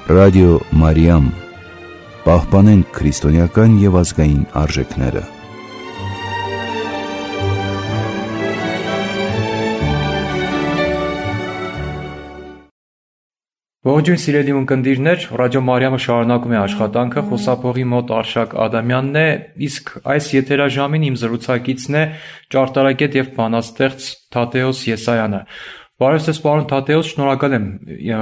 Ռադիո Մարիամ, պահպանենք քրիստոնեական և ազգային արժեքները։ Ողջույն սիրելի ունկնդիրներ, Ռադիո Մարիամը շարունակում է աշխատանքը, խոսափողի մոտ Արշակ Ադամյանն է, իսկ այս եթերաժամին իմ զրուցակիցն է ճարտարագետ և բանաստեղծ Թադեոս Եսայանը։ Բարև ձեզ, պարոն Թադեոս, շնորհակալ եմ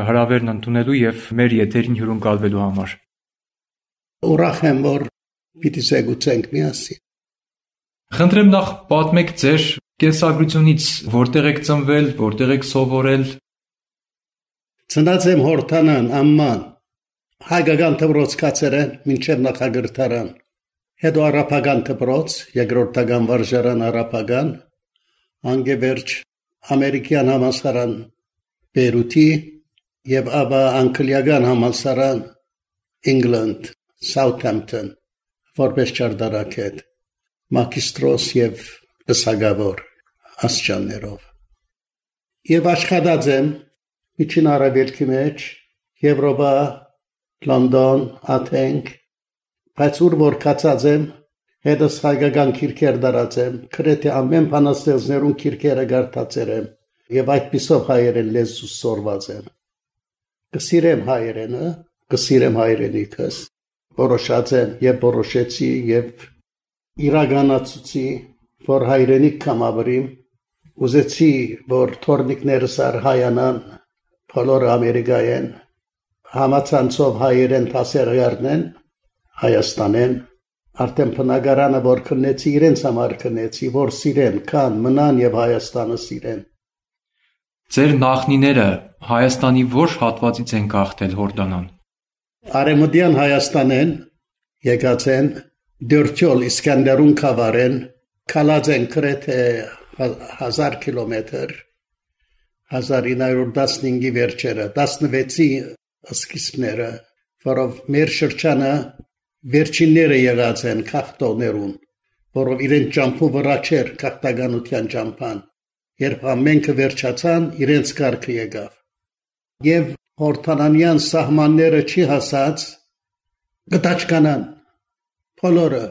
հրավերն ընդունելու և մեր եթերին հյուրընկալվելու համար։ Ուրախ եմ, որ պիտի զեկուցենք միասին։ Խնդրեմ նախ պատմեք ձեր կենսագրությունից, որտեղ եք ծնվել, որտեղ եք սովորել։ Ծնած եմ Հորդանան, Ամման, հայկական դպրոց կացրել մինչև նախագրթարան, հետո արաբական դպրոց, երկրորդական վարժարան արաբական, անգևերջ ամերիկյան համալսարան Բեյրութի և ապա անգլիական համալսարան Ինգլանդ, Սաութհեմփթոն, որպես ճարտարագետ, մագիստրոս և բսակավոր աստիճաններով։ Եվ աշխատած եմ Միջին Արևելքի մեջ, Եվրոպա, Լոնդոն, Աթենք, բայց ուր որ կացած եմ, հետս հայկական քիրքեր դարած եմ, գրեթե ամեն բանաստեղծներուն քիրքերը կարդացել եմ, և այդպիսով հայերեն լեզու սորված եմ։ Կսիրեմ հայերենը, կսիրեմ հայրենիքս, որոշած եմ և որոշեցի և իրականացուցի, որ հայրենիք կամավորիմ, ուզեցի, որ թորնիկներս հայանան, բոլորը Ամերիկայեն, համացանցով հայերեն դասերներն Հայաստանեն, արդեն բնակարանը որ քննեցի, իրենց համար քննեցի, որ սիրեն, կան, մնան և Հայաստանը սիրեն։ Ձեր նախնիները Հայաստանի ո՞ր հատվածից են գաղթել Հորդանան։ Արևմտյան Հայաստանեն եկած են, Դյուրթյոլ Իսկանդերուն կավարեն, կալած են գրեթե 1000 կիլոմետր, 1915-ի վերջերը, 16-ի սկիզբները, որով մեր շրջանը վերջինները եղած են քաղաքտոներուն, որով իրենց ճամփու վրա չէր քաղաքականության ճամփան, երբ ամենքը վերջացան, իրենց կարգը եկավ։ Եվ Հորդանանյան սահմանները չի հասած, գտաճկանան, բոլորը,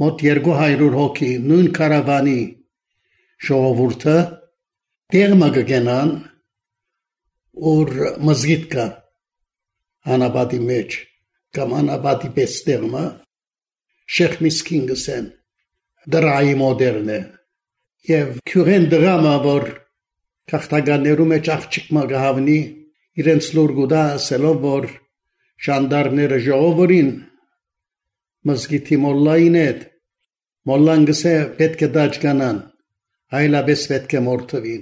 մոտ 200 հոգի, նույն կարավանի ժողովուրդը, տեղը կգենան, որ մզգիթ կա, անապատի մեջ, կամ անապատի պես տեղը, Շեխ Միսկին գսեն, դրայի մոդերն է, և քյուրեն դրամը, որ քաղաքականներու մեջ աղջիկ կհավնի, իրենց լուր գուտա ասելով, որ ժանդարմները ժողովուրին, մզգիթի մոլլային հետ, մոլլան գսե պետք է դաջկանան, այլապես պետք է մորթվին,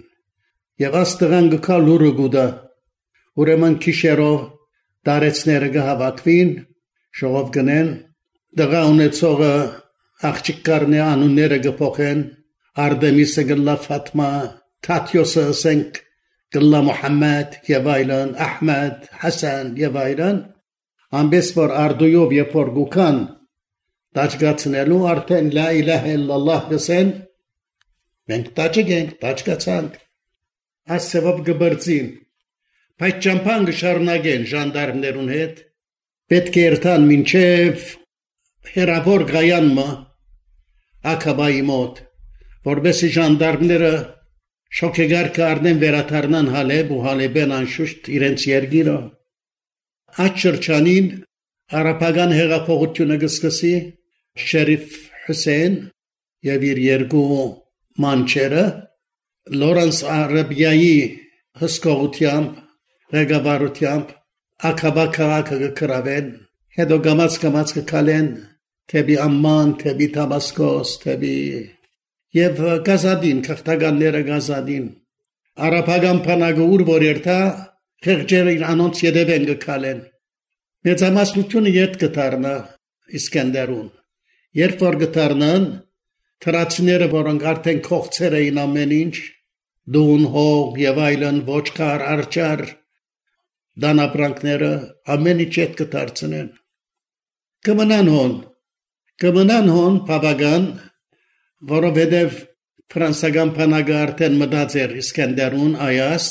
և աստղան գկա լուրը գուտա, ուրեմն քիշերով դարեցները կհավաքվին, ժողով գնեն, դղա ունեցողը աղջիկներն անունները կփոխեն, Արտեմիսը գլա Ֆաթմա, Թաթյոսը ասենք գլա Մուհամմադ և այլն, Ահմեդ, Հասան և այլն, ամբես որ արդույով երբ որ գուքան դաջգացնելու արդեն լա իլահե իլլալլահ գսեն, մենք դաջգենք, դաջգացանք, ասևով գբրծին, բայց ճամփան կշարունակեն ժանդարմներուն հետ, պետք է երթան մինչև հերավոր գայանմը Ակաբայի մոտ, որբեսի ժանդարմները շոքեգարկը առնեն վերաթարնան Հալեբ ու Հալեբեն անշուշտ իրենց երգիրը։ Այդ շրջանին արաբական հեղափոխությունը կսկսի Շերիֆ Հուսեյն և իր երկու մանչերը Լորենս Արաբիայի հսկողությամբ, ղեկավարությամբ Ակաբա քաղաքը կգրավեն, հետո գամած կգալեն թեպի Ամման, թեպի Դամասկոս, թեպի և գազադին, քաղաքականները գազադին, արաբական բանակը ուր որ երթա, խեղճերը անոնց ետևեն կգալեն։ Մեծամասնությունը ետ կդառնա Իսկանդերուն։ Երբ որ կդառնան, թրացիները, որոնք արդեն կողցել էին ամեն ինչ, դուն, հող և այլն, ոչխար, արջար, դանապրանքները, ամեն ինչ ետ կդարձնեն։ Կմնան հոն բավական, որովհետև ֆրանսական բանակը արդեն մտած էր Իսկանդերուն այաս,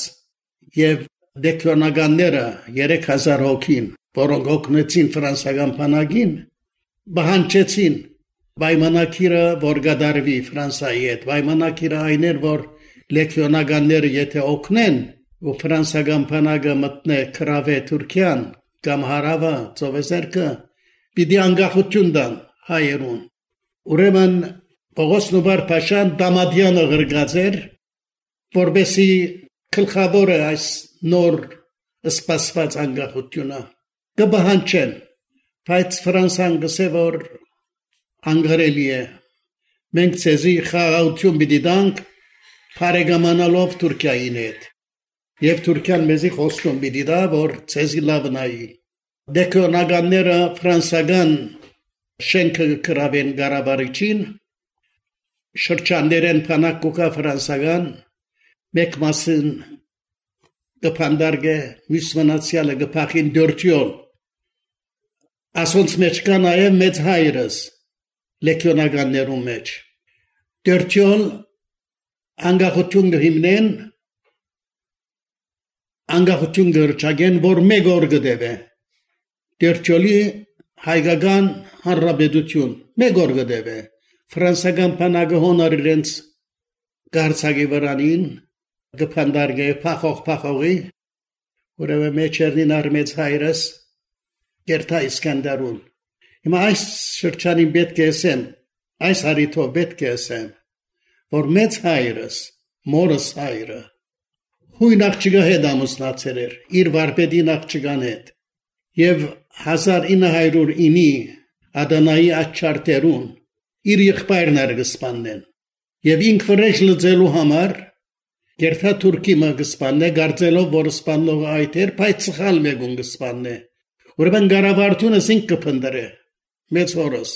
և դեկլոնականները 3000 հոգին, որոնք օգնեցին ֆրանսիական բանակին, բանջեցին պայմանակիրը, որ գդարվի Ֆրանսիայի հետ։ Պայմանակիրը այն էր, որ լեգիոնականները եթե օգնեն ու ֆրանսիական բանակը մտնե քրավե Թուրքիան կամ հարավը ծովեզերքը, պիտի անկախություն տան հայերուն։ Ուրեմն Պողոս Նուբար-փաշան Դամադյանը գրգած էր, որբեսի գլխավորը այս նոր սպասված անկախությունը կբահանջեն, բայց Ֆրանսիան գսե որ անգարելի է։ Մենք ցեզի խաղաղություն պիտի տանք բարեկամանալով Թուրքիային հետ։ Եվ Թուրքիան մեզի խոստում պիտի տա, որ ցեզի լավ նայի։ Դեկլոնականները ֆրանսիական շենքը կրավեն Ղարաբաղին, շրջաններեն փանակուկա ֆրանսիական, մեկ մասն կփանդարգե, մյուս մնացյալը կփախին դորտյոլ։ Ասոնց մեջ կա նաև մեծ հայրս, լեգիոնականներու մեջ։ Դորտյոլ անկախություն կհիմնեն, անկախություն կրճագեն, որ մեկ օր կդեվե։ Դորտյոլի հայկական հանրապետություն մեկ օր կդեվե։ Ֆրանսիական բանակը հոնոր իրենց գարցակի վրանին կփանդարգե փախողի, ուրեմն մեջերնին արմեց հայրս Գերթա Իսկանդարուն։ Հիմա այս շրջանին պետք է ասեմ, այս հարիթով պետք է ասեմ, որ մեծ հայրս, մորս հայրը, հույն աղջիկա հետ ամուսնացել էր, իր վարպետին աղջիկան հետ, և 1909-ի Ադանայի աչչարտերուն իր եղբայրն արգսպաննեն, և ինք վրեժ լծելու համար Գերթա Թուրքիմը գսպաննե, գարձելով, որ սպանողը այդ էր, բայց սխալ մեկուն գսպաննե։ Ուրեմն գարավարտունը ինք կփնդրե, մեծ հորս,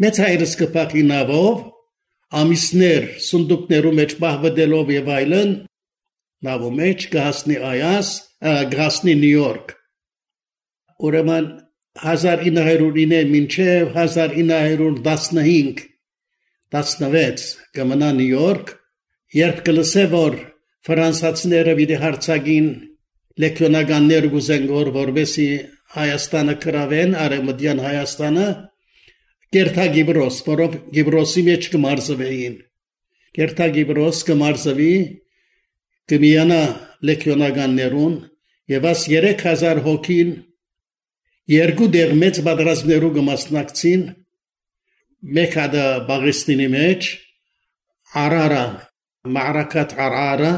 մեծ հայրս կփախի նավով, ամիսներ սունդուկներու մեջ պահվդելով և այլն, նավու մեջ կհասնի կհասնի Նյու Յորք։ Ուրեմն 1909 մինչև 1915-16 կմնա Նյու Յորք, երբ կլսե, որ ֆրանսացիները պիտի հարձակին լեգիոնականներ գուզեն որբեսի Հայաստանը կրավեն, Արևմտյան Հայաստանը, Գերթա Գիբրոս, որով Գիբրոսի մեջ կմարզվեին։ Գերթա Գիբրոս կմարզվի, կմիանա լեգիոնականներուն, և աս 3000 հոգին երկու դեղ մեծ պատերազմներու կմասնակցին, մեկ հատը Բաղեստինի մեջ, Արարա, Մաարաքաթ Արարա,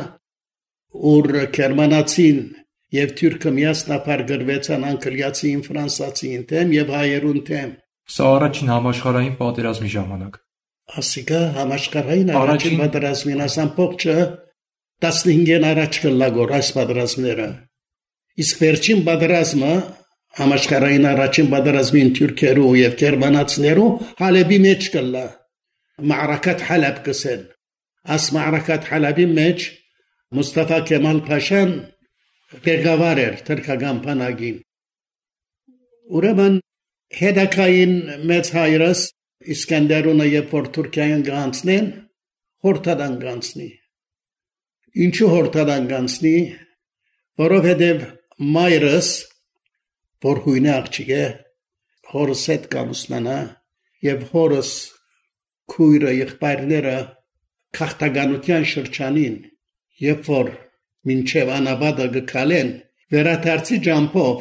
ուր գերմանացին և թուրքը միասնապար գրվեցան անգլիացին, ֆրանսացին թեմ և հայերուն թեմ։ Սա առաջին համաշխարհային պատերազմի ժամանակ։ Ասիկա համաշխարհային առաջին պատերազմին ասան փողջը 15-ին առաջ կլագոր այս պատերազմները։ Իսկ վերջին պատերազմը համաշխարհային առաջին պատերազմին թուրքերու և գերմանացիներու Հալեբի մեջ կլա։ Մաարաքաթ Հալեբ կսեն։ Աս Մաարաքաթ Հալեբի մեջ Մուստաֆա Քեմալ Փաշան ղեկավար էր թուրքական բանակին։ Ուրեմն հետակային մեծ հայրս Իսկանդարունը երբ որ Թուրքիան գանցնեն, հորթադան գանցնի։ Ինչու հորթադան գանցնի, որովհետև մայրս, որ հույնի աղջիկ է, հորս հետ կամուսնանա և հորս քույրը եղբայրները քաղաքականության շրջանին, երբ որ մինչև անաբադը գկալեն, վերադարձի ջամփով,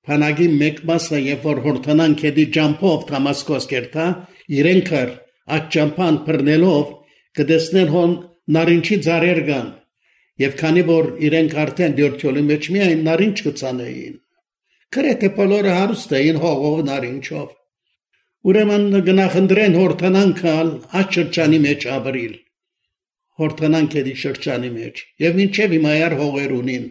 բանակի մեկ մասը երբ որ հորթանան քեդի ջամփով Դամասկոս կերտա, իրենքար այդ ջամփան բռնելով կտեսնեն հոն նարինջի ծառեր կան, և քանի որ իրենք արդեն դյորթյոլի մեջ միայն նարինջ կծանեին, գրեթե բոլորը հարուստ էին հողով նարինջով։ Ուրեմն գնախնդրեն հորթանան կալ այդ շրջանի մեջ ապրիլ, հորթանան քեդի շրջանի մեջ, և մինչև հիմայար հողեր ունին,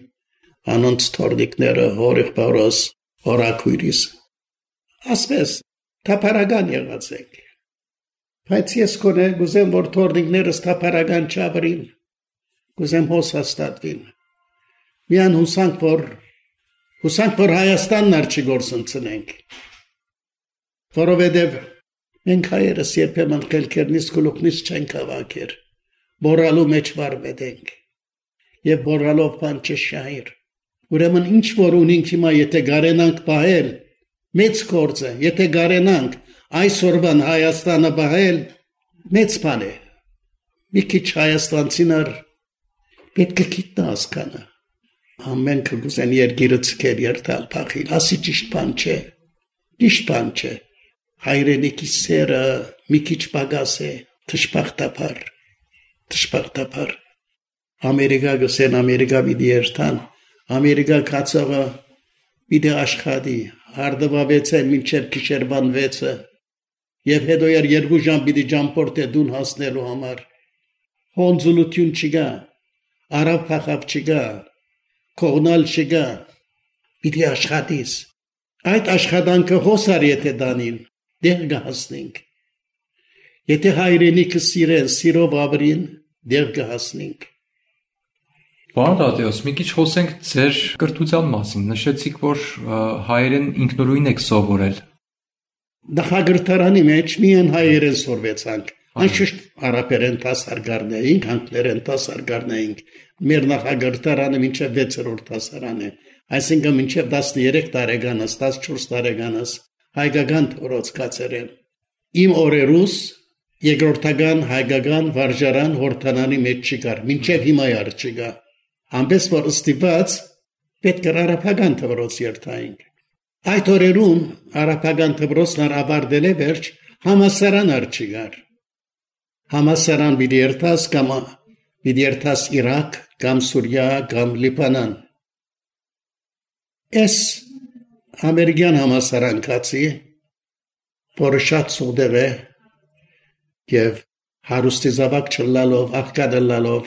անոնց թորնիկները, հորեղբորոս, հորաքույրիս։ Ասպես, թափարական եղած ենք։ Բայց ես կոնե գուզեմ, որ թորնիկներս թափարական չապրին, գուզեմ հոս հաստատվին։ Միան հուսանք, որ Հայաստանն արջի գործընծնենք, որովհետև մենք հայերս երբեմն խելքերնից գլուխնից չենք հավաքեր, բորալու մեջ վարվետ ենք, և բորալով բան չշահիր, Ուրեմն ինչ որ ունենք հիմա, եթե գարենանք պահել, մեծ գործ է, եթե գարենանք այսօրվան Հայաստանը պահել, մեծ բան է։ Մի քիչ հայաստանցիներ պետք է գիտնա հասկանա։ Ամեն կգուզեն երկիրը ցկեր երթալ փախիլ, ասի ճիշտ բան չէ։ Ճիշտ բան չէ։ Հայրենիքի սերը մի քիչ պակաս է, թշպախտաբար։ Ամերիկա գսեն Ամերիկա պիտի երթան, Ամերիկա կացողը պիտի աշխատի, արդվավեցեն մինչև գիշերվան 6-ը, եւ հետո 2 ժամ պիտի ճամփորդե դուն հասնելու համար։ Հոնձուլություն չկա, արավ փախավ չկա, կողնալ չկա, պիտի աշխատիս։ Այդ աշխատանքը հոսար եթե դանին, դեղ կհասնենք։ Եթե հայրենիքը սիրեն, սիրով ապրին, դեղ կհասնենք։ Պարոն Տատեոս, մի քիչ խոսենք ձեր կրթության մասին։ Նշեցիք, որ հայերեն ինքնուրույն եք սովորել։ Նախագրթարանի մեջ միայն հայերեն սովորեցանք։ Անշուշտ արաբերեն դասարան էինք, անգլերեն դասարան էինք։ Մեր նախագրթարանը մինչև 6-րդ դասարան է։ Այսինքն մինչև 13 տարեկանս, 14 տարեկանս հայկական ռոցկացերեն։ Իմ օրերուս երկրորդական հայկական վարժարան հորտանանի մեջ չկար, մինչև հիմա չկա։ Ամենս որ ստիպված պետք է արաբական դպրոց երթայինք։ Այդ օրերում արաբական դպրոցն ավարտել է վերջ համալսարան չկար։ Համալսարան պիտի երթաս կամ պիտի երթաս Իրաք, կամ Սուրիա, կամ Լիբանան։ Այս ամերիկյան համալսարան կացի, որը շատ սուղդեղ է եւ հարուստի զավակ չլալով, աղքատալալով,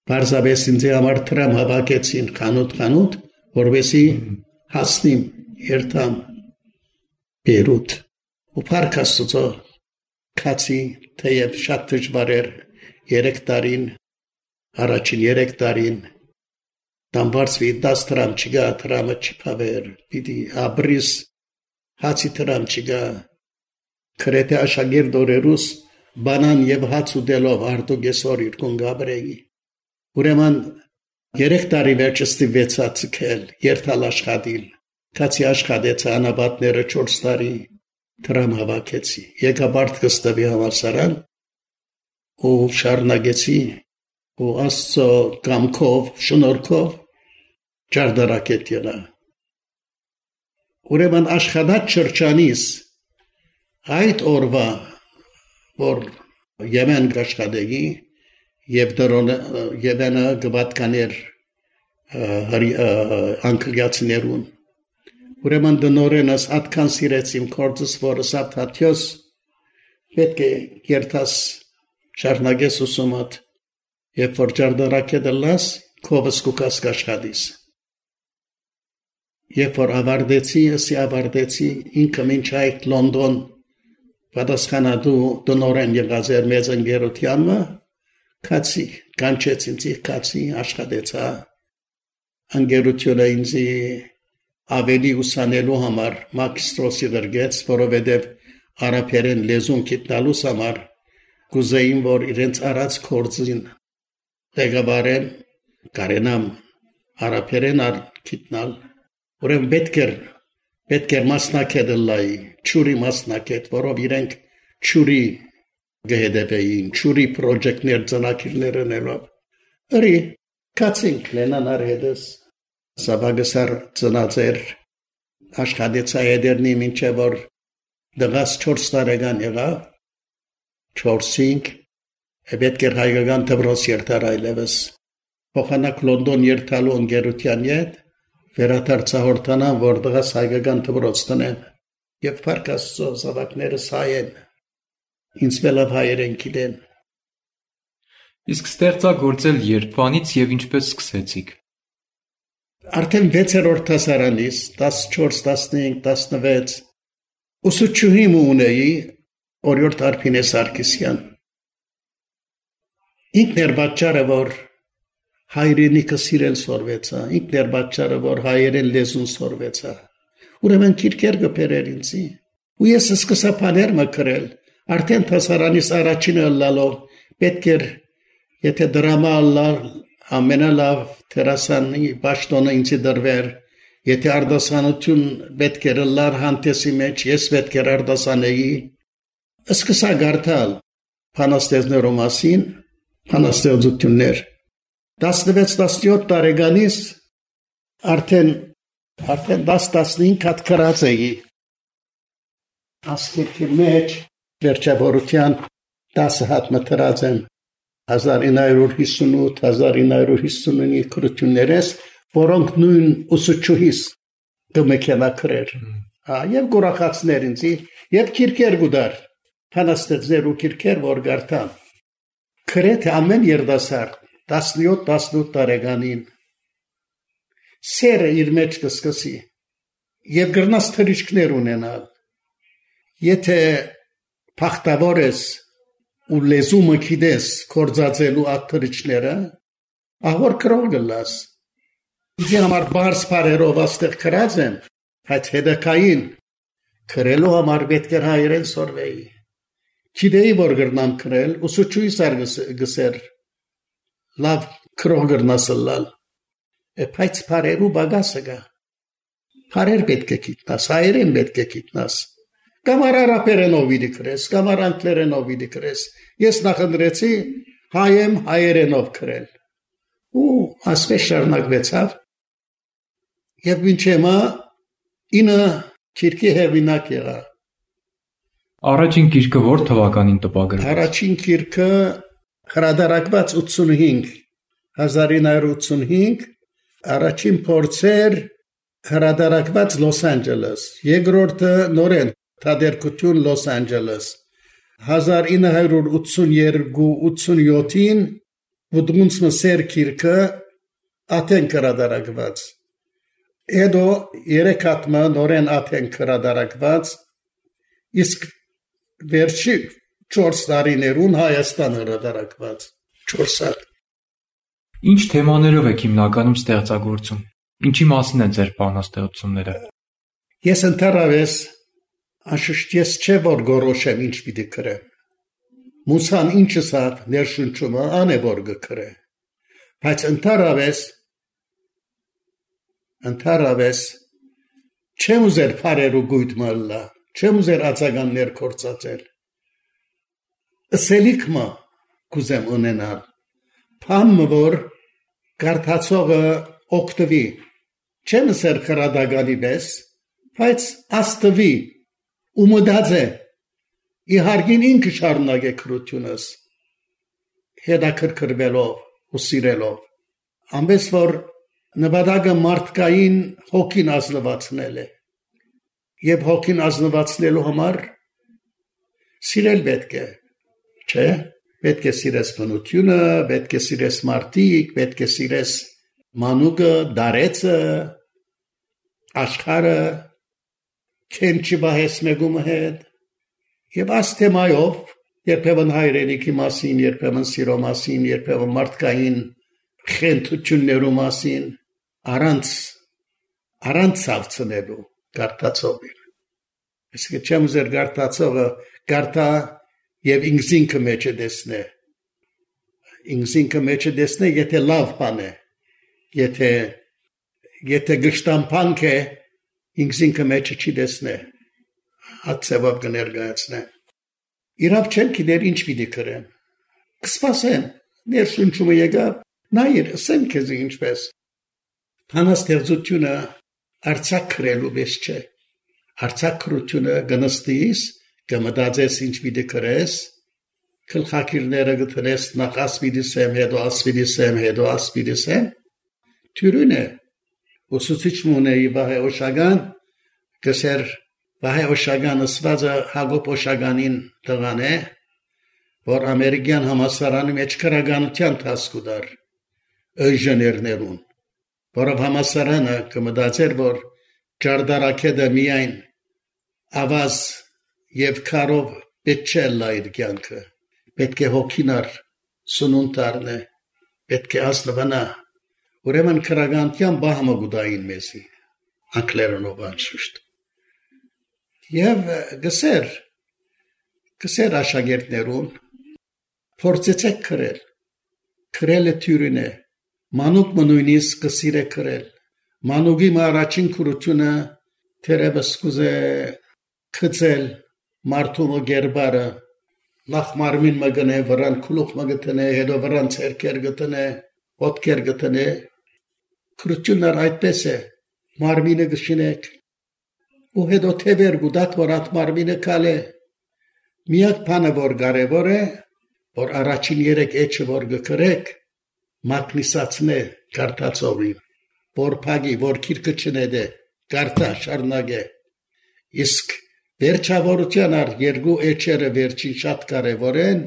բարձաբես ինձ համար տրամ հավաքեցին խանութ, որովհետեւ հասնիմ երթամ Բեյրութ։ Ու Փարքաստուծո կացի թեև շատ դժվար էր 3 տարին, առաջին 3 տարին դամբարսվի 10 տրամ չգա, տրամը չփավեր, պիտի ապրիս հացի տրամ չգա, քրեթե աշակերտ օրերուս բանան եւ հաց ուտելով արտոգեսոր իրկուն գաբրեի։ Ուրեմն 3 տարի վերջ ստիպեցա ցկել, երթալ աշխատիլ, կացի աշխատեցա անաբատները 4 տարի, տրամ հավաքեցի, եկա Բարտկստավի համալսարան, ու շարունակեցի, ու Աստծո կամքով, շնորհքով ճարտարապետ եղա։ Ուրեմն աշխատած շրջանից այդ օրվա, որ Եմեն աշխատեի, եւ Եմենը գվատկաներ անգլիացիներուն։ Ուրեմն դնորենս atkan սիրեցիմ կորձս, որը սավթաթյոս պետք է երթաս շարունակես ուսումդ, երբ որ ճարտարապետը լաս, քովս կուկաս կաշխատիս։ Երբ որ ավարտեցի, ինքը մինչ այդ Լոնդոն պատասխանատու դնորեն եղած էր մեծ ընկերությանը, կացի, կանչեց ինձ կացի, աշխատեցա, ընկերությունը ինձ ավելի ուսանելու համար մագիստրոսի գրգեց, որովհետև արաբերեն լեզուն գիտնալուս համար կուզեին, որ իրենց արած կորձին ղեկավարեն, կարենամ արաբերեն գիտնալ, ուրեմն պետք էր մասնակետը լայի, չուրի մասնակետ, որով իրենք չուրի գհետևեին, չուրի պրոջեկտներ ծնակիրներ ընելով։ Ըրի, կացինք լենանար հետս, սավագսար ծնածեր, աշխատեցա եդերնի մինչև որ դղաս 4 տարեկան եղավ, 4-5, պետք էր հայկական դպրոց երթար այլևս, փոխանակ Լոնդոն երթալու ընկերության հետ, վերադարձա հորտանան, որ դղաս հայկական դպրոց տնեմ, եւ Փարքաստուծո զավակներս հայ են, ինձ մելավ հայերեն գիտեն։ Իսկ ստեղծագործել երբանից եւ ինչպես սկսեցիք։ Արդեն 6-րդ դասարանից 14, 15, 16 ուսուցչուհի ունեի Օրիորդ Արփինե Սարգսյան։ Ինքն էր պատճառը, որ հայրենիքը սիրել սորվեցա, ինքն էր պատճառը, որ հայերեն լեզուն սորվեցա։ Ուրեմն քիրքեր գբերեր ինձի։ Ու ես սկսա բաներ մկրել, արդեն դասարանից առաջինը լալով պետք էր, եթե դրամա լար ամենալավ Տերասանի պաշտոնը ինձ դրվեր, եթե արդասանություն պետք էր լար հանդեսի մեջ, ես պետք էր արդասանեի, սկսա գարտալ փանաստեղծներու մասին, փանաստեղծություններ, 16-17 տարեկանից արդեն 10-15 հատ գրած էի, ասկերքի մեջ վերջավորության 10 հատ մտրած եմ, 1958-1959 քրություններես, որոնք նույն ուսուցչուհիս կմեկենա գրեր, և գորախացներ ինձի, և կիրքեր գուդար, փանաստեղծներու կիրքեր, որ գարտան, գրեթե ամեն երդասարդ 17-18 տարեկանին սերը իր մեջ կսկսի և գրնաս թրիչքներ ունենալ, եթե փախտավոր ես ու լեզումը գիտես կործածելու այդ թրիչքները, ահոր գրող գլաս, ինձ համար բարձ բարերով աստեղ գրած եմ, բայց հետակային գրելու համար պետք է հայերեն սորվեի, գիտեի որ գրնամ գրել, ուսուցչուհիս գսեր, լավ գրող գրնասլալ, բայց բարերու բագասը գա, բարեր պետք է գիտնաս, հայերեն պետք է գիտնաս, Կամար արաբերենով վիդի գրես, կամար անգլերենով վիդի գրես, ես նախնդրեցի հայեմ հայերենով գրել, ու ասպես շարունակվեցավ, և մինչեմա 9 գիրքի հեղինակ եղա, Առաջին գիրքը որ թվականին տպագրվեց։ Առաջին գիրքը հրատարակված 1985, առաջին փորձեր հրատարակված Լոս Անջելես, երկրորդը նորեն թատերկություն Լոս Անջելես, 1982-87-ին Վուդմունց մսեր գիրքը Աթեն հրատարակված, հետո 3 հատմը նորեն Աթեն հրատարակված, իսկ վերջի 4 տարիներուն Հայաստան հրատարակված 4 հատ։ Ինչ թեմաներով եք հիմնականում ստեղծագործում։ Ինչի մասին են ձեր բանաստեղծությունները։ Ես ընդհանրապես անշուշտ ես չէ որ գորոշեմ ինչ պիտի գրեմ։ Մուսան ինչը սա ներշնչումը ան է որ գրե։ Բայց ընդհանրապես չեմ ուզեր բարերու գույտ մալլա, չեմ ուզեր ածականներ կործածել։ Սելիքմը կուզեմ ունենալ, փամը որ կարդացողը օգտվի, չեմ ուզեր քրադագանի պես, բայց աստվի ու մտածե, իհարկին ինքը շարունակե քրությունս, հետաքրքրվելով ու սիրելով, ամենս որ նպատակը մարդկային հոգին ազնվացնել է, և հոգին ազնվացնելու համար սիրել պետք է, չէ, պետք է սիրես բնությունը, պետք է սիրես մարդիկ, պետք է սիրես մանուկը, դարեցը, աշխարը, քենչի բահես մեկումը հետ, և աս թեմայով, երբևն հայրենիքի մասին, երբևն սիրո մասին, երբևն մարդկային խենթություններու մասին, առանց ցավցնելու գարտացողին։ Այսինքն չեմ ուզեր գարտացողը գարտա և ինքզինքը մեջը դեսնե։ Ինքզինքը մեջը դեսնե, եթե լավ բան է, եթե գշտամփանք է, ինքզինքը մեջը չի դեսնե, հատ ծևով կներգայացնե։ Իրավ չեմ գիտեր ինչ պիտի գրեմ, կսպասեմ, ներշնչումը եկավ, նայր, ասեմ քեզ ինչպես։ Բանաստեղծությունը արձակ գրելու պես չէ, արձակ գրությունը գնստիս, կմտածես ինչ պիտի գրես, գլխակիրները գտնես նախ ասպիդիսեմ, հետո ասպիդիսեմ, հետո ասպիդիսեմ, թյուրին է, ուսուցիչ մունեի Վահե Օշագան, գսեր Վահե Օշագան ասվածը Հակոբ Օշագանին տղան է, որ ամերիկյան համասարանի մեջ քրագանության տասկ ուդար, ինժեներներուն, որով համասարանը կմտածեր, որ ջարդարակեդը միայն ավազ և քարով պետք չէ լայր կյանքը, պետք է հոգինար սնունտարն է, պետք է ասնվանա, ուրեմն քրագանության բահմը գուդային մեզի, անգլերենով անշուշտ։ Եվ գսեր աշակերտներուն, փորձեցեք գրել, գրելը թյուրին է, մանուկ նույնիսկ կսիրե կրել մանուկի առաջին քրությունը թերևս կուզե քծել մարդու գերբարը նախ մարմին մգնե վրան քլուխ մգտնե հետո վրան ցերկեր գտնե ոտքեր գտնե քրությունն այդպես է մարմինը գշինեք ու հետո թևեր գուտակ որ at մարմինը կալե միակ բանը որ կարևոր է որ առաջին երեք էջը որ գկրեք մակնիսացնե կարտացողին որ փագի որ քիրքը չնեդե կարտա շարնագե իսկ վերջավորության առ երկու էջերը վերջին շատ կարևոր են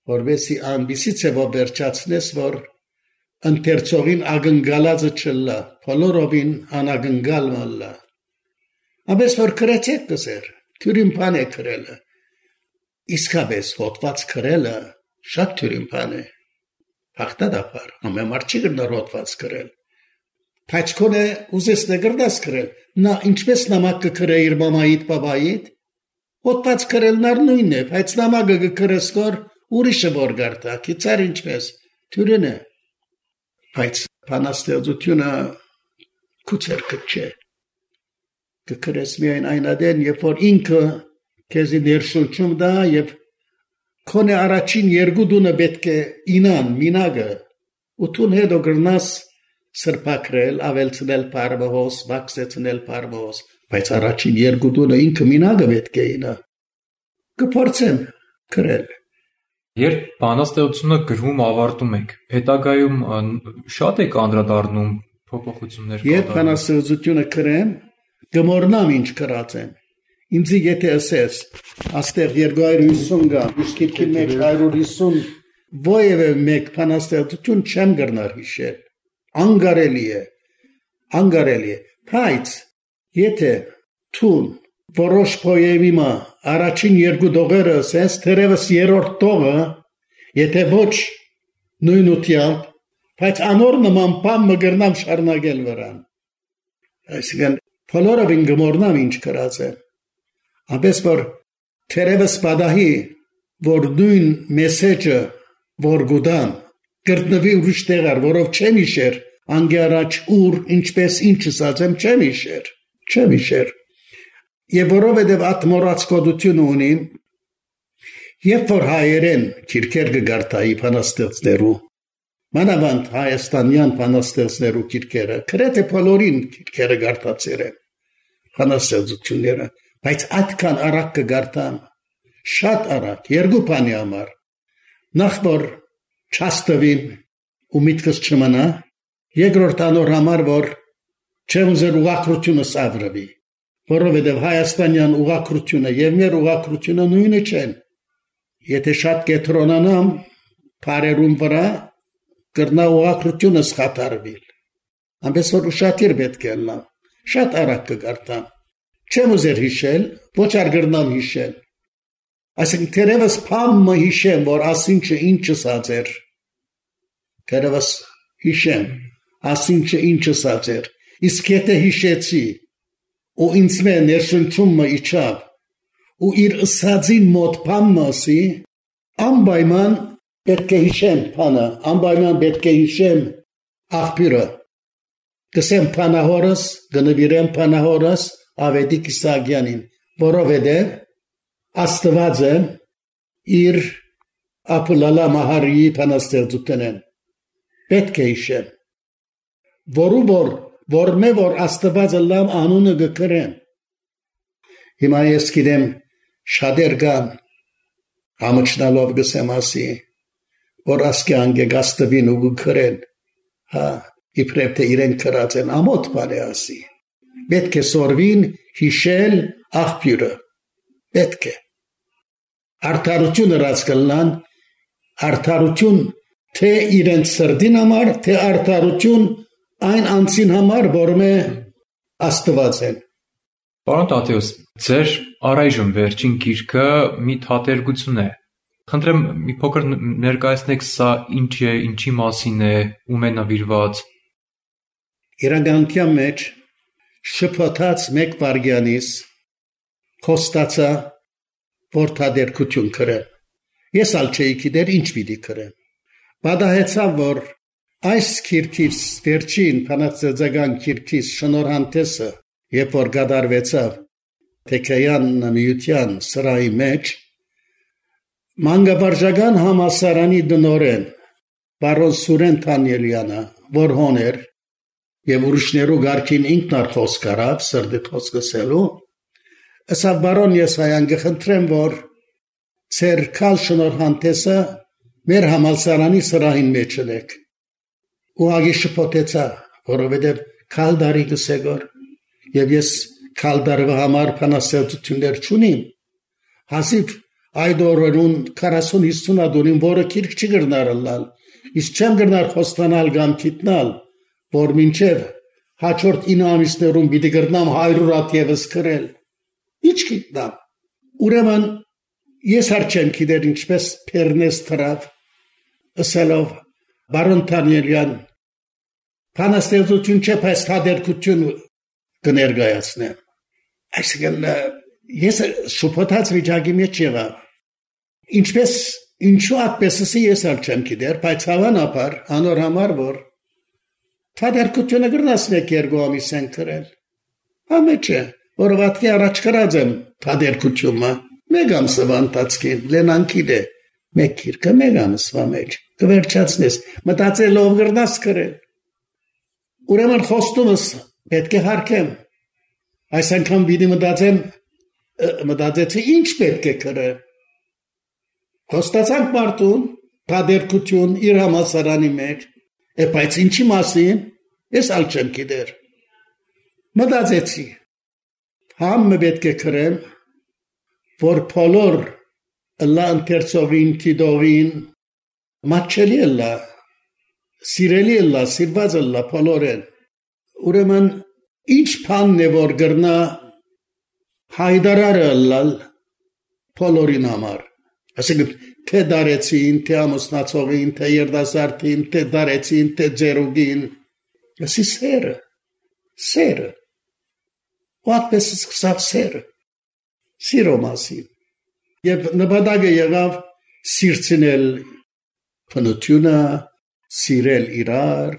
որովհետեւ անբիսի ցեվով վերջացնես որ ընթերցողին ագնգալածը չլա բոլորովին անագնգալ մալլա Աբես որ քրեցեք կսեր, թյուրին բան է քրելը, իսկապես հոտված քրելը շատ թյուրին բան է, հաղթադապար, ամեմար չի գրնար հոտված քրել, բայց կոնե ուզես նգրդաս քրել, նա ինչպես նամակ կքրե իր մամայիդ, բաբայիդ, հոտված քրելն առ նույնն է, բայց նամակը կքրես կոր ուրիշը որ գարտա, կիցար ինչպես, թյուրին է, բայց բանաստեղծությունը կուցեր կտ չէ, կքրես միայն այնադեն, երբ որ ինքը քեզի ներշնչում դա եւ քոնե առաջին երկու դունը պետք է ինան մինագը ու տուն հետո գրնաս սրբակրել, ավելցնել բարբոս, բացեցնել բարբոս, բայց առաջին երկու դունը ինքը մինագը պետք է ինա կփորձեմ քրել Երբ բանաստեղծությունը գրում ավարտում եք, հետագայում շատ եք անդրադառնում փոփոխություններ Երբ բանաստեղծությունը քրեմ Գմորնամ ինչ կրած եմ, ինձի եթե ասես, աստեղ 250 գամ, իսկ իրքին 150, ոյև է մեկ պանաստեղծություն չեմ գրնար հիշել, անգարելի է, բայց եթե թուն, որոշ պոյեմի մա, առաջին երկու դողերը ասես, թերևս երորդ դողը, եթե ոչ նույն ուտյամբ, բայց անոր նման պամ մգրնամ շարնագել վրան, այսինքն Բոլորովին գմորնամ ինչ կրած է, ապես որ թերևս պատահի, որ նույն մեսեջը, որ գուդամ, գրտնվի ուրիշ տեղար, որով չեմ իշեր, անգի առաջ ուր, ինչպես ինչ ասած եմ, չեմ իշեր, և որովհետև at մորացկոդություն ունիմ, երբ որ հայերեն քիրքեր կգարտայի բանաստեղծներու, Մանավանդ հայաստանյան բանաստեղծներու քիրքերը, քրեթե բոլորին քիրքերը գարտացել են, բանաստեղծությունները, բայց այդքան արագ կգարտամ, շատ արագ, երկու բանի համար, նախ որ չաստվին ու միտքս չմնա, երկրորդ անոր համար, որ չեմ ուզեր ուղղակրությունը սավրվի, որովհետև հայաստանյան ուղղակրությունը և մեր ուղղակրությունը նույնը չեն, եթե շատ կետրոնանամ, բարերում վրա, կրնա ուղղակրությունը սխաթարվիլ, ամպես որ ուշատիր պետք է լավ, շատ արագ կգարտամ, չեմ ուզեր հիշել, ոչ արգրնամ հիշել, այսինքն թերևս պամը հիշեմ, որ ասինչը ինչ ասած էր, թերևս հիշեմ, ասինչը ինչ ասած էր, իսկ եթե հիշեցի, ու ինձ մե ներշնչումը իջավ, ու իր ասածին մոտ պամը ասի, անպայման պետք է հիշեմ բանը, անպայման պետք է հիշեմ աղբյուրը, կսեմ բանահորս, գնվիրեմ բանահորս Ավետիք Իսահակյանին, որովհետև Աստվածը իր ապլալա մահարիի բանաստեղծությունն պետք է հիշեմ, որ մե որ Աստվածը լավ անունը գկրեմ, հիմա ես գիտեմ շատեր կան, համոչնալով գսեմ ասի, որ ասկի անգեգաստվին ու գկրեն, իպրեպ թե իրեն կրած են ամոտ բան է ասի, պետք է սորվին հիշել աղբյուրը, պետք է, արդարություն ըրած կլնան, արդարություն թե իրեն սրդին համար, թե արդարություն այն անցին համար, որ մե աստված են։ Պարոն Տատեոս, ձեր առայժմ վերջին գիրքը մի թատերգություն է, խնդրեմ մի փոքր ներկայացնեք սա ինչ է, ինչի մասին է, ում է նվիրված։ Իրականության մեջ շփոթած մեկ վարգյանից խոստացա, որ թատերգություն կրեմ։ Ես ալ չէի գիտեր ինչ պիտի կրեմ։ Պատահեցավ, որ Այս քիրքից վերջին փանաստեղծական քիրքից շնորհանդեսը, երբ որ գդարվեցավ Թեքեյան միության սրահի մեջ, մանկավարժական համալսարանի դնորեն բարոն Սուրեն Թանյելյանը, որ հոներ եւ ուրիշներու գարքին ինքնար խոսք արավ սրդի խոսքսելու, ասավ բարոն Եսայան գխնդրեմ որ ծեր կալ շնորհանդեսը մեր համալսարանի սրահին մեջ ելեք ու ագի շփոթեցա որովհետեւ կալդարի գսեգոր եւ ես կալդարվա համար փանաստեղծություններ չունիմ հասիվ այդ օրերուն 40-50 ադունին որը քիրք չգրնարալ իսկ չեմ գրնար խոստանալ կամ գիտնալ որ մինչև հաջորդ 9 ամիսներում պիտի գրնամ 100 հատ եւս գրել ինչ գիտնամ ուրեմն ես արչեմ գիտեր ինչպես Պերնես թրավ ասելով բարոն Թանյելյան փանաստեղծություն չէ բայց թադերքություն կներկայացնեմ այսինքն ես շփոթած վիճակի մեջ եղա ինչպես ինչու այդպեսի ես արչեմ գիտեր բայց հավանաբար անոր համար որ թադերքությունը գրնաս մեկ երկու ամիս են գրել ամեջը որովհետեւ առաջ գրած եմ թադերքությունը մեկ ամսվա ընթացքին լենանկիդե մեկ քիրքը մեկ ամսվա մեջ կվերջացնես մտածելով գրնաս գրել ուրեմն խոստումս պետք է հարկեմ այս անգամ պիտի մտածեցի ինչ պետք է գրել խոստացանք մարդուն թադերքություն իր համալսարանի մեջ բայց ինչի մասին ես ալչեմ գիտեր մտածեցի համը պետք է գրեմ որ բոլոր լա ընթերցողին տիդողին մաչելի լա սիրելի լա սիրված լա բոլորեն ուրեմն ինչ բանն է որ գրնա հայդարարը լալ բոլորին համար ասենք թե դարեցին թե ամուսնացողին թե երդասարտին թե դարեցին թե ձերուգին ասի սերը What սկսավ սերը սիրո մասին եւ նպատակը եղավ սիրցնել փնությունը սիրել իրար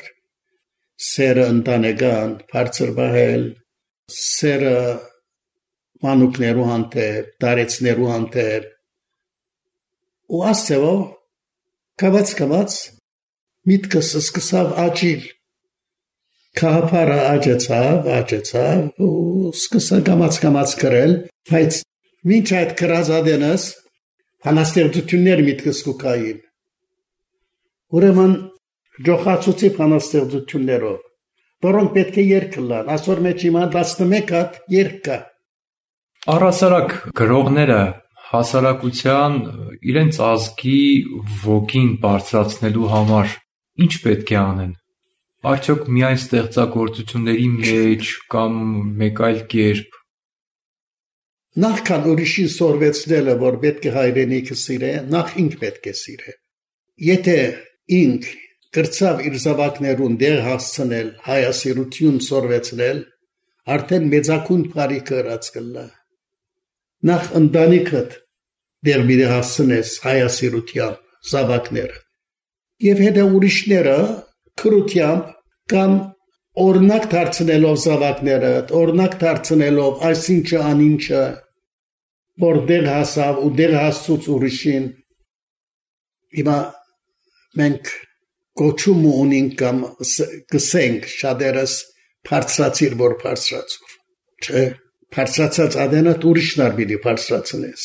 սերը ընտանեկան բարձր բահել սերը մանուկներու հանդեպ դարեցներու հանդեպ ու ասելով կավաց միտքս սկսավ աճիլ Կահապարը աճեցավ ու սկսա կամաց գրել, բայց մինչ այդ գրած ադենս փանաստեղծություններ միտքս կուկային։ Ուրեմն ջոխացուցի փանաստեղծություններով, որոնք պետք է երկլան, ասոր մեջ հիմա 11 հատ երկ կա։ Առհասարակ գրողները հասարակության իրենց ազգի ոգին բարձրացնելու համար ինչ պետք է անեն։ Արդյոք միայն ստեղծագործությունների մեջ կամ մեկ այլ կերպ Նախքան ուրիշին սորվեցնելը, որ պետք է հայրենիքը սիրե, նախ ինք պետք է սիրե։ Եթե ինք կրծավ իր զավակներուն դեր հասցնել, հայասիրություն սորվեցնել, արդեն մեծակուն բարի կրած կլա։ Նախ ընտանիքդ դեր մի հասցնես հայասիրությամբ զավակները։ Եվ հետո ուրիշները քրությամբ կամ օրինակ դարձնելով զավակները, օրինակ դարձնելով այսինչը անինչը, որ դեր հասավ ու դեր հասցուց ուրիշին, հիմա մենք կոչում ունենք կամ գսենք շատերս բարձրացիր, որ բարձրացուր, չէ, բարձրացած ադենատ ուրիշն արբիդի բարձրացնես,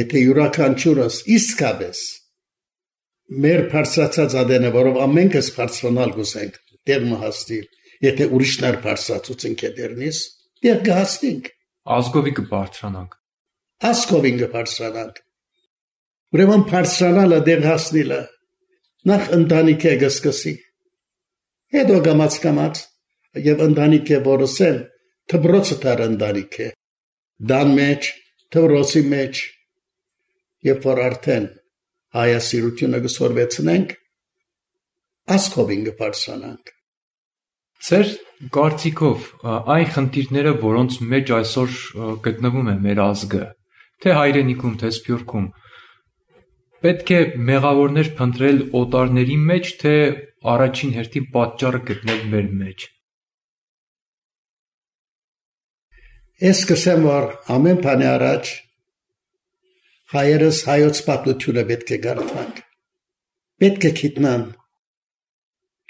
եթե յուրաքանչյուրս իսկապես մեր բարձրացած ադենը, որով ամենքս բարձրանալ գուսենք, դեր մհաստիր, եթե ուրիշներ բարձրացուցին կետերնիս, դեր կհաստինք։ Ազգովի կբարձրանանք։ Ազգովին կբարձրանանք։ Ուրեմն բարձրանալը դեր հասնիլը, նախ ընտանիք է գսկսի, հետո կամաց և ընտանիք է որսել, թբրոցը տար ընտանիք է, դան մեջ, թբրոցի մեջ, և որ արդեն հայասիրությունը կսորվեցնենք, ազգովին կբարձրանանք։ Ձեր կարծիքով այն խնդիրները, որոնց մեջ այսօր գտնվում է մեր ազգը, թե հայրենիքում, թե սփյուռքում, պետք է մեղավորներ փնտրել օտարների մեջ, թե առաջին հերթին պատճառը գտնել մեր մեջ։ Ես կսեմ, որ ամեն բանի առաջ հայերս հայոց պատմությունը պետք է գարթանք։ Պետք է գիտնան,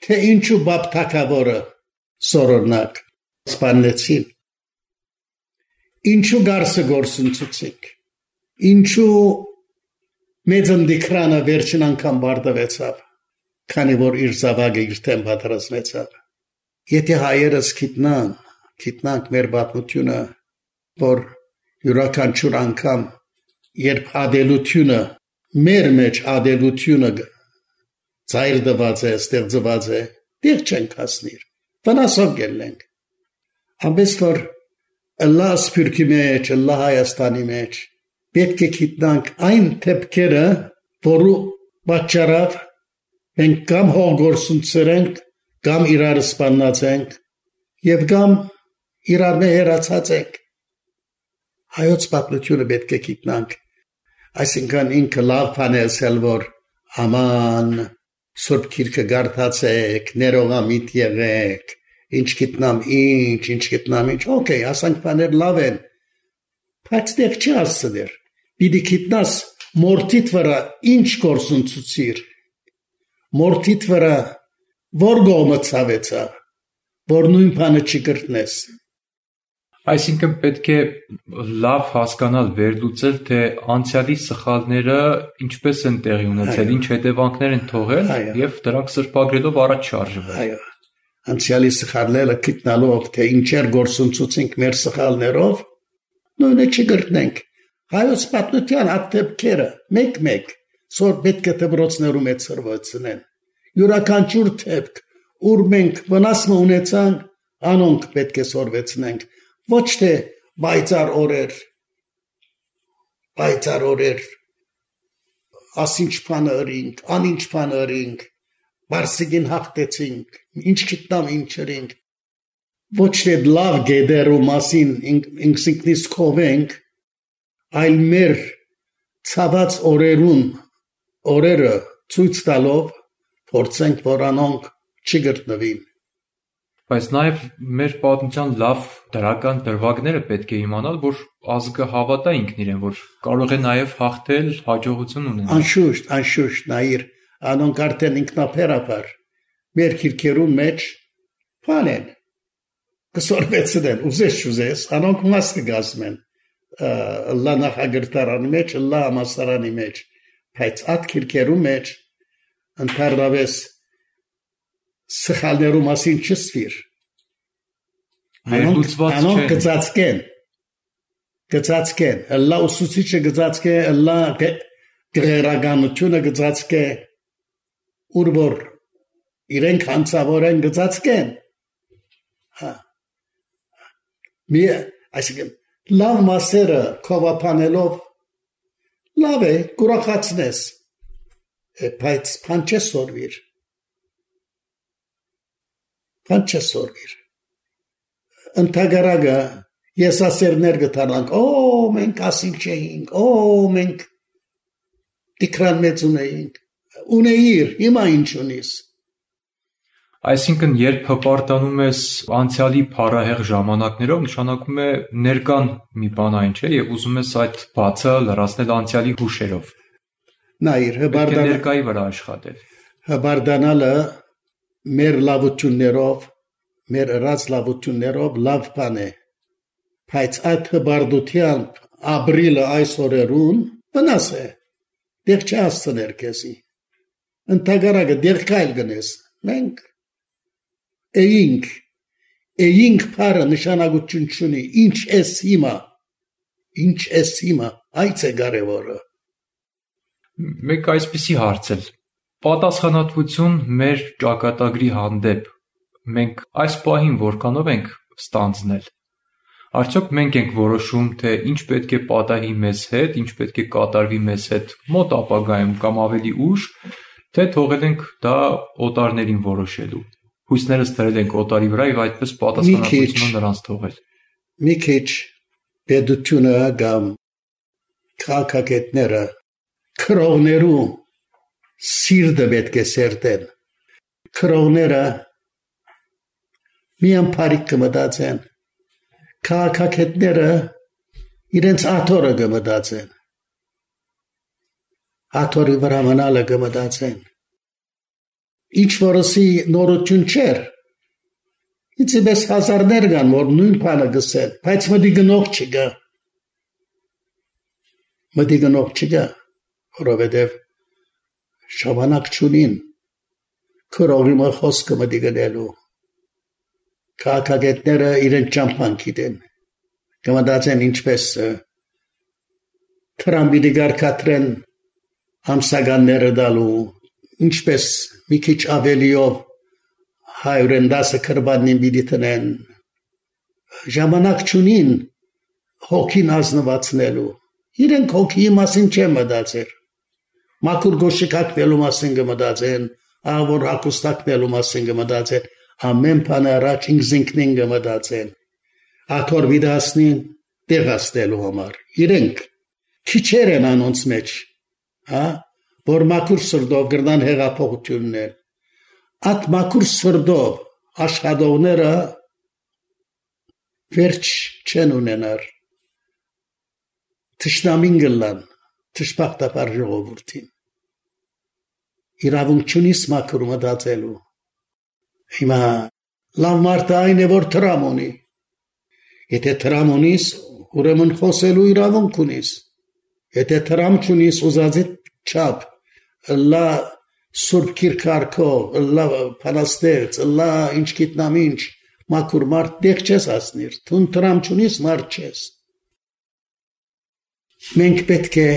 թե ինչու բապ թագավորը սորոնակ սպանեցին, ինչու գարսը գործընծուցիկ, ինչու մեծ ընդիկրանը վերջին անգամ բարդվեցավ, քանի որ իր զավակը իր թեմ պատրաստվեցավ։ Եթե հայերս գիտնանք մեր պատմությունը, որ յուրաքանչյուր անգամ, երբ ադելությունը, մեր մեջ ադելությունը ծայր դված է, ստեղծված է, դեղ չենք հասնիր, վնասով գելենք։ Ամենս որ Ալլահ սփյուռքի մեջ, Ալլահ Հայաստանի մեջ, պետք է գիտնանք այն թեփքերը, որու պատճառով մենք կամ հողգործունցենք, կամ իրար սպաննացենք, եւ կամ իրար մեջ հերացած ենք։ Հայոց պատմությունը պետք է գիտնանք, այսինքն ինքը լավ բան է ասել, որ աման Սուրբ Գիրքը գարթացեք, ներողամիտ եղեք, ինչ գիտնամ ինչ, օքեյ, ասանք բաներ լավ են, բայց դեղ չի ասցներ, պիտի գիտնաս մորթիդ վրա ինչ գործունցուցիր, մորթիդ վրա որ գոմը ցավեցավ, որ նույն բանը չի կրտնես։ Այսինքն պետք է լավ հասկանալ, վերլուծել, թե անցյալի սխալները ինչպես են տեղի ունեցել, ինչ հետևանքներ են թողել եւ դրանք սրբագրելով առաջ շարժվել։ Այո, անցյալի սխալները գտնալով, թե ինչեր գործընծուցենք մեր սխալներով, նույնը չգրտնենք։ Հայոց պատմության ատեպքերը մեկ-մեկ սոր պետք է դպրոցներում ծրվեցնեն։ Յուրաքանչյուր թեփք, ուր մենք վնասը ունեցանք, անոնք պետք է սորվեցնենք։ Ոչ թե բայցար օրեր, ասինչ բան ըրինք, անինչ բան ըրինք, բարսիգին հաղթեցինք, ինչ գիտնամ ինչ ըրինք, ոչ թե լավ գեդերու մասին ինքնիս կովենք, այլ մեր ցաված օրերը ցույց տալով փորձենք, որ անոնք չգտնվին։ Բայց նաև մեր պատմության լավ դրական դրվագները պետք է իմանալ, որ ազգը հավատա ինքն իրեն, որ կարող է նաև հաղթել, հաջողություն ունենալ։ Անշուշտ, նայիր, անոնք արդեն ինքնաբերաբար մեր քիրքերուն մեջ բան են, կսորվեցնեն, ուզես, անոնք մաս կգազմեն, Ալլահ նախագրտարանի մեջ, Ալլահ համասարանի մեջ, բայց այդ քիրքերուն մեջ ընդհանրապես սխալներու մասին չսվիր։ Անոնք գծածկեն, Ալլահ ուսուցիչը գծածկե, Ալլահ գեղարագանությունը գծածկե, ուր որ իրենք հանցավոր են գծածկեն։ Այսինքն լավ մասերը կովապանելով լավ է, կուրախացնես, բայց բան չսորվիր։ Ընթագարագը եսասերներ գտանանք, մենք ասինչ էինք, մենք տիկրան մեծ ունեիր, հիմա ինչ ունիս։ Այսինքն, երբ հպարտանում ես անցյալի փառահեղ ժամանակներով, նշանակում է ներկան մի բան այն չէ, եւ ուզում ես այդ բացը լրացնել անցյալի հուշերով։ Նայր, ներկայի վրա աշխատել։ Հպարտանալը մեր լավություններով, մեր ըրած լավություններով լավ բան է, բայց այդ հպարտությամբ ապրիլը այս օրերուն վնաս է, դեղ չհասցներ քեզի, ընդհանրակը դեղ կայլ գնես, մենք էինք փարը նշանակություն չունի, ինչ ես հիմա, այս է կարևորը։ Մեկ այսպիսի հարցել, պատասխանատվություն մեր ճակատագրի հանդեպ, մենք այս պահին որքանով ենք ստանձնել, արդյոք մենք ենք որոշում, թե ինչ պետք է պատահի մեզ հետ, ինչ պետք է կատարվի մեզ հետ մոտ ապագայում կամ ավելի ուշ, թե թողել ենք դա օտարներին որոշելու, հույսներս դրել ենք օտարի վրա և այդպես պատասխանատվությունը նրանց թողել։ Մի քիչ պետությունը կամ քաղաքագետները քրողներու սիրտը պետք է սերտեն։ Քրողները միան բարիք կմտածեն, քաղաքագետները իրենց աթորը կմտածեն, աթորի վրա մնալը կմտածեն, ինչ որսի նորություն չեր, ինձ պես հազարներ կան, որ նույն բանը գսեն, բայց մտի գնող չկա, որովհետև ժամանակ չունին, քրողի մը խոսքը մտի գնելու, քաղաքագետները իրենց ճամփան գիտեն, կմտածեն ինչպես Թրամփի դգարկատրեն ամսականները դալու, ինչպես մի քիչ ավելիով 110 քրբանին պիտի տնեն, ժամանակ չունին հոգին ազնվացնելու, իրենք հոգիի մասին չեն մտածեր, մաքուր գոշիկակվելու մասին կմտածեն, ավոր հակոստակվելու մասին կմտածեն, ամեն բան առաջ ինքնին կմտածեն, աթոր վիդասնին տեղացնելու համար, իրենք քիչեր են անոնց մեջ, որ մաքուր սրտով գրնան հեղափոխություններ, այդ մաքուր սրտով աշխատողները վերջ չեն ունենար, թշնամին գլան, թշպախտապար ժողովուրդին, իրավունք չունիս մաքուր մտածելու, հիմա լավ մարդը այն է, որ տրամ ունի, եթե տրամ ունիս, ուրեմն խոսելու իրավունք ունիս, եթե տրամ չունիս ուզածիդ չապ, լա սուրբ կիրքարկով, լա պանաստերց, լա ինչ գիտնամ ինչ, մաքուր մարդ դեղ չես ասնիր, թուն տրամ չունիս մարդ չես, մենք պետք է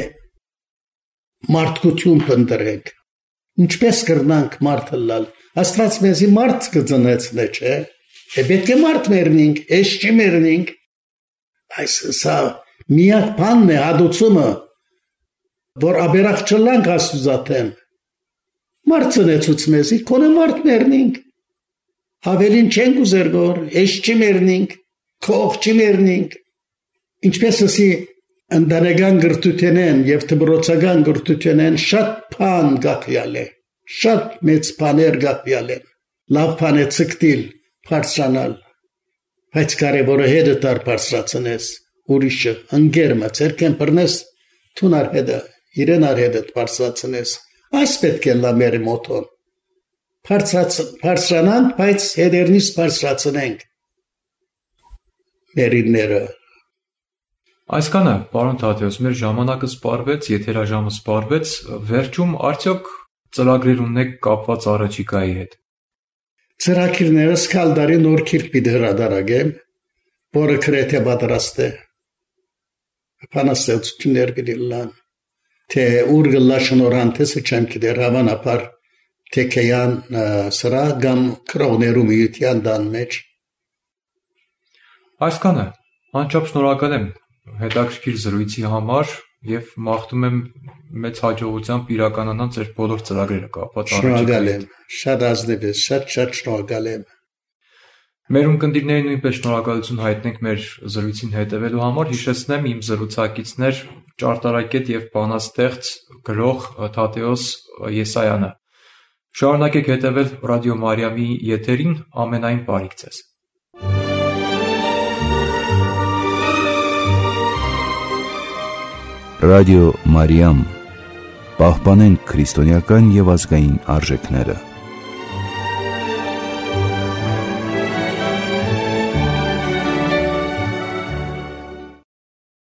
մարդկություն պնդրենք, ինչպես կրնանք մարդը լալ, աստված մեզի մարդ կծնեցն է, չէ, պետք է մարդ մերնինք, ես չի մերնինք, այս սա միակ բանն է հադուցումը, որ աբերախ չլանք աստուծատեմ, մարդ ծնեցուց մեզի, կոնե մարդ մերնինք, ավելին չենք ուզեր գոր, ես չի մերնինք, քող չի մերնինք, ինչպես ասի ընդանեկան գրթութենեն և թբրոցական գրթութենեն շատ բան գաղյալ է, շատ մեծ բաներ գաղյալ են, լավ բան է ցկտիլ, բարձրանալ, բայց կարևորը հետը տար բարձրացնես, ուրիշը, ընգերմը, ցերքեն բռնես, թունար հետը, իրեն ար հետը բարձրացնես, այս պետք է լա մեր մոտոն, բարձրանանք, բայց հետերնից բարձրացնենք մերինները, Այսքանը, պարոն Թադեոս, մեր ժամանակը սպառվեց, եթերաժամը սպառվեց, վերջում արդյոք ծրագրեր ունեք կապված առաջիկայի հետ։ Ծրագիրներս քալդարի նոր քիրք պիտի հրադարագեմ, որը գրեթե պատրաստ է։ Բանաստեղծություններ գտելան, թե ուր գլա շնորհանդեսը չեմ գիտեր հավանաբար թեքեյան սրա կամ քրողներու միության դան մեջ։ Այսքանը, անչափ շնորհակալ եմ հետաքրքիր զրույցի համար և մաղթում եմ մեծ հաջողությամբ իրականանան ձեր բոլոր ծրագրերը կապված Շնորհակալ եմ, շատ ազնիվ ես, շատ շնորհակալ եմ։ Մեր ունկնդիրներին նույնպես շնորհակալություն հայտնենք մեր զրույցին հետևելու համար, հիշեցնեմ իմ զրուցակիցներ ճարտարագետ և բանաստեղծ գրող Թադեոս Եսայանը։ Շարունակեք հետևել Ռադիո Մարիամի եթերին, ամենայն բարիք ձեզ։ Ռադիո Մարիամ, պահպանենք քրիստոնեական և ազգային արժեքները։